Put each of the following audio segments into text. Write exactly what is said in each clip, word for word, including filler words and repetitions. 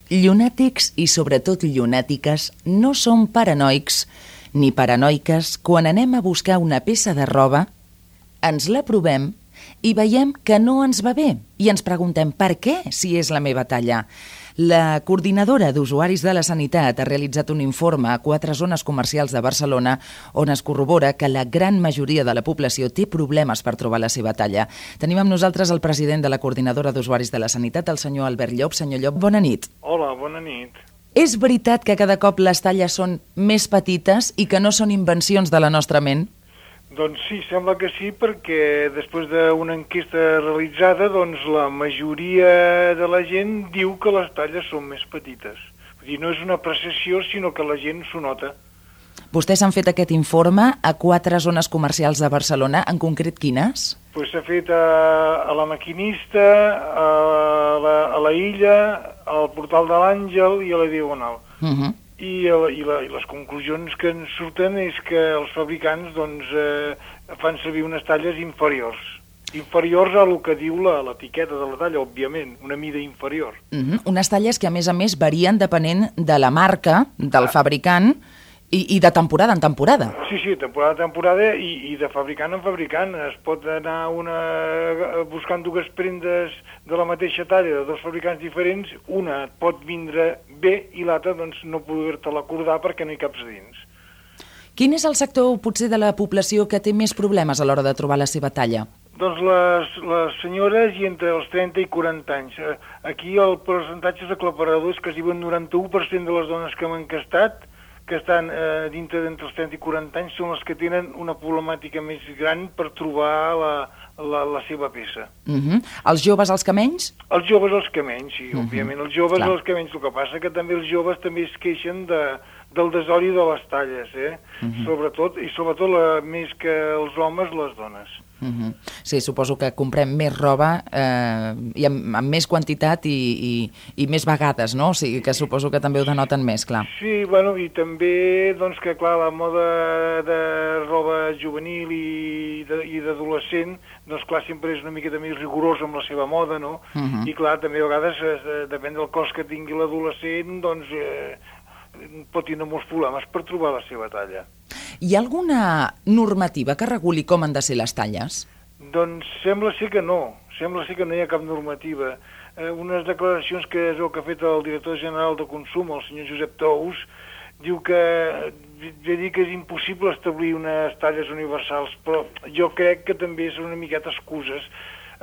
Llunàtics i sobretot llunàtiques no som paranoics ni paranoiques quan anem a buscar una peça de roba, ens la provem i veiem que no ens va bé i ens preguntem per què si és la meva talla. La coordinadora d'usuaris de la sanitat ha realitzat un informe a quatre zones comercials de Barcelona on es corrobora que la gran majoria de la població té problemes per trobar la seva talla. Tenim amb nosaltres el president de la coordinadora d'usuaris de la sanitat, el senyor Albert Llop. Senyor Llop, bona nit. Hola, bona nit. És veritat que cada cop les talles són més petites i que no són invencions de la nostra ment? Doncs sí, sembla que sí, perquè després d'una enquesta realitzada, doncs la majoria de la gent diu que les talles són més petites. Vull dir, no és una apreciació, sinó que la gent s'ho nota. Vostès han fet aquest informe a quatre zones comercials de Barcelona, en concret quines? Pues s'ha fet a, a la Maquinista, a la, a la Illa, al Portal de l'Àngel i a la Diagonal. Uh-huh. I, i, la, i les conclusions que ens surten és que els fabricants doncs, eh, fan servir unes talles inferiors. Inferiors a el que diu l'etiqueta de la talla, òbviament, una mida inferior. Uh-huh. Unes talles que, a més a més, varien depenent de la marca, del ah. fabricant, i, i de temporada en temporada. Sí, sí, temporada en temporada i, i de fabricant en fabricant. Es pot anar una, buscant dues prendes de la mateixa talla de dos fabricants diferents, una et pot vindre bé i l'altra doncs, no poder-te-la acordar perquè no hi caps dins. Quin és el sector potser de la població que té més problemes a l'hora de trobar la seva talla? Doncs les, les senyores i entre els trenta i quaranta anys. Aquí el percentatge aclaparador és que si un noranta-u per cent de les dones que m'han encastat que estan eh, dintre d'entre els trenta i quaranta anys són les que tenen una problemàtica més gran per trobar la, la, la seva peça. Uh-huh. Els joves els que menys? Els joves els que menys, sí, uh-huh. òbviament. Els joves Clar. els que menys. El que passa que també els joves també es queixen de, del desori de les talles, eh? Uh-huh. Sobretot, i sobretot la, més que els homes, les dones. Uh-huh. Sí, suposo que comprem més roba eh, i amb, amb més quantitat i, i, i més vegades, no? O sigui que suposo que també ho denoten més, clar. Sí, bueno, i també, doncs, que clar, la moda de roba juvenil i de, i d'adolescent, doncs clar, sempre és una miqueta més rigorosa amb la seva moda, no? Uh-huh. I clar, també a vegades, eh, depèn del cost que tingui l'adolescent, doncs eh, pot tindre molts problemes per trobar la seva talla. Hi ha alguna normativa que reguli com han de ser les talles? Doncs sembla ser que no, sembla ser que no hi ha cap normativa. Eh, unes declaracions que és el que ha fet el director general de Consum, el senyor Josep Tous, diu que, ja dic que és impossible establir unes talles universals, però jo crec que també són una miqueta excuses,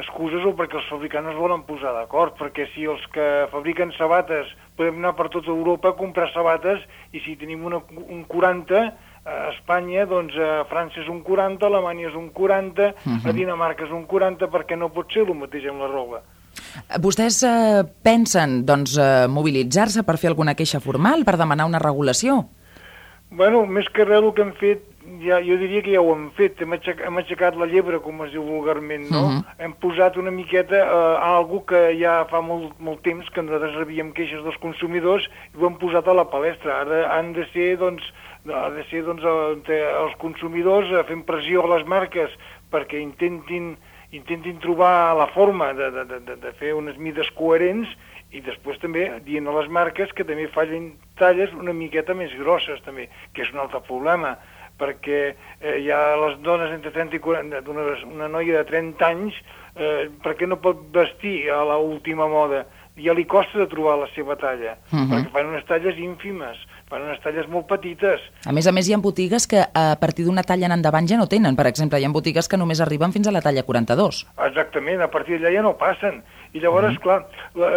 excuses o perquè els fabricants es volen posar d'acord, perquè si els que fabriquen sabates podem anar per tota Europa a comprar sabates i si tenim una, un quaranta, a Espanya, doncs a França és un quaranta, a Alemanya és un quaranta, uh-huh. a Dinamarca és un quaranta, perquè no pot ser el mateix amb la roba. Vostès eh, pensen doncs, eh, mobilitzar-se per fer alguna queixa formal, per demanar una regulació? Bueno, més que res el que hem fet, ja, jo diria que ja ho hem fet, hem aixecat, hem aixecat la llebre, com es diu vulgarment, no? Uh-huh. Hem posat una miqueta eh, algo que ja fa molt, molt temps que nosaltres rebíem queixes dels consumidors i ho hem posat a la palestra. Ara han de ser, doncs, ha de ser doncs, els consumidors fent pressió a les marques perquè intentin, intentin trobar la forma de, de, de, de fer unes mides coherents i després també dient a les marques que també facin talles una miqueta més grosses també, que és un altre problema, perquè eh, hi ha les dones entre trenta i quaranta, una, una noia de trenta anys, eh, perquè no pot vestir a l'última moda, ja li costa de trobar la seva talla, uh-huh. perquè fan unes talles ínfimes, fan unes talles molt petites. A més a més, hi ha botigues que a partir d'una talla en endavant ja no tenen. Per exemple, hi ha botigues que només arriben fins a la talla quaranta-dos. Exactament, a partir d'allà ja no passen. I llavors, uh-huh. clar, la,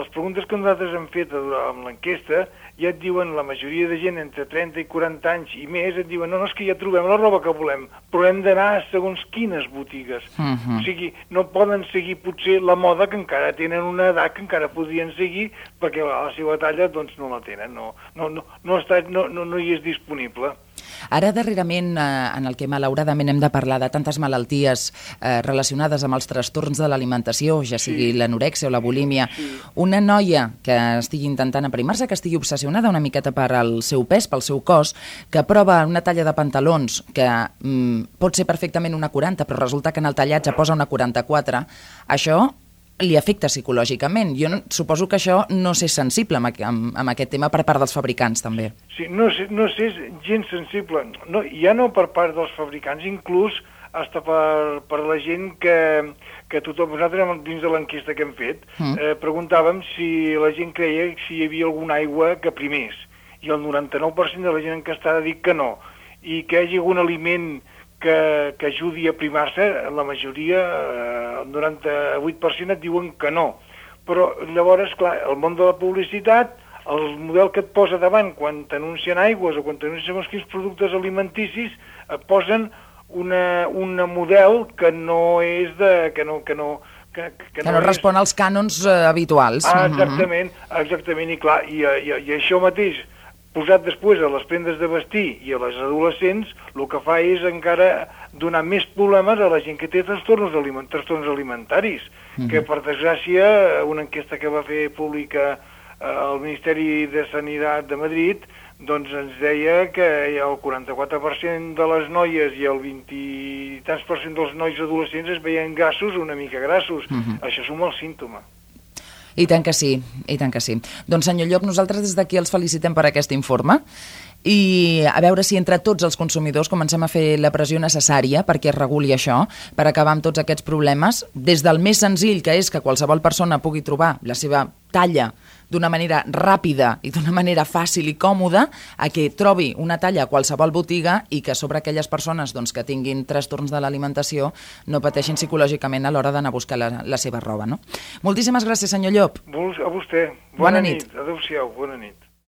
les preguntes que nosaltres hem fet amb l'enquesta ja et diuen, la majoria de gent entre trenta i quaranta anys i més, et diuen, no, no, és que ja trobem la roba que volem, però hem d'anar a segons quines botigues. Uh-huh. O sigui, no poden seguir potser la moda que encara tenen una edat que encara podrien seguir perquè la, la seva talla doncs no la tenen, no, no, no, no, està, no, no, no hi és disponible. Ara, darrerament, eh, en el que malauradament hem de parlar de tantes malalties eh, relacionades amb els trastorns de l'alimentació, ja sigui sí. l'anorèxia o la bulímia, sí. una noia que estigui intentant aprimar-se, que estigui obsessionada una miqueta per al seu pes, pel seu cos, que prova una talla de pantalons que mm, pot ser perfectament una quaranta, però resulta que en el tallatge posa una quaranta-quatre, això li afecta psicològicament. Jo no, suposo que això no s'és sensible amb, amb, amb aquest tema per part dels fabricants, també. Sí, no, no s'és gens sensible. No, ja no per part dels fabricants, inclús hasta per, per la gent que, que tothom, nosaltres dins de l'enquesta que hem fet, mm. eh, preguntàvem si la gent creia si hi havia alguna aigua que primés, i el noranta-nou per cent de la gent enquestada ha dit que no, i que hi hagi algun aliment que, que ajudi a primar-se, la majoria, eh, el noranta-vuit per cent et diuen que no. Però llavors, clar, el món de la publicitat, el model que et posa davant quan t'anuncien aigües o quan t'anuncien quins productes alimenticis, et posen una, una model que no és de... que no, que no, que, que que no, no respon és... als cànons eh, habituals. Ah, exactament, exactament, i clar, i, i, i això mateix, posat després a les prendes de vestir i a les adolescents, el que fa és encara donar més problemes a la gent que té trastorns, aliment, trastorns alimentaris, mm-hmm. que per desgràcia, una enquesta que va fer pública eh, el Ministeri de Sanitat de Madrid, doncs ens deia que el quaranta-quatre per cent de les noies i el vint i tants per cent dels nois adolescents es veien gassos una mica grassos. Mm-hmm. Això és un mal símptoma. I tant que sí, i tant que sí. Doncs senyor Llop, nosaltres des d'aquí els felicitem per aquest informe i a veure si entre tots els consumidors comencem a fer la pressió necessària perquè es reguli això, per acabar amb tots aquests problemes, des del més senzill, que és que qualsevol persona pugui trobar la seva talla d'una manera ràpida i d'una manera fàcil i còmoda, a que trobi una talla a qualsevol botiga i que sobre aquelles persones doncs, que tinguin trastorns de l'alimentació no pateixin psicològicament a l'hora d'anar a buscar la, la seva roba. No? Moltíssimes gràcies, senyor Llop. A vostè. Bona, bona nit. nit. Adéu-siau. Bona nit.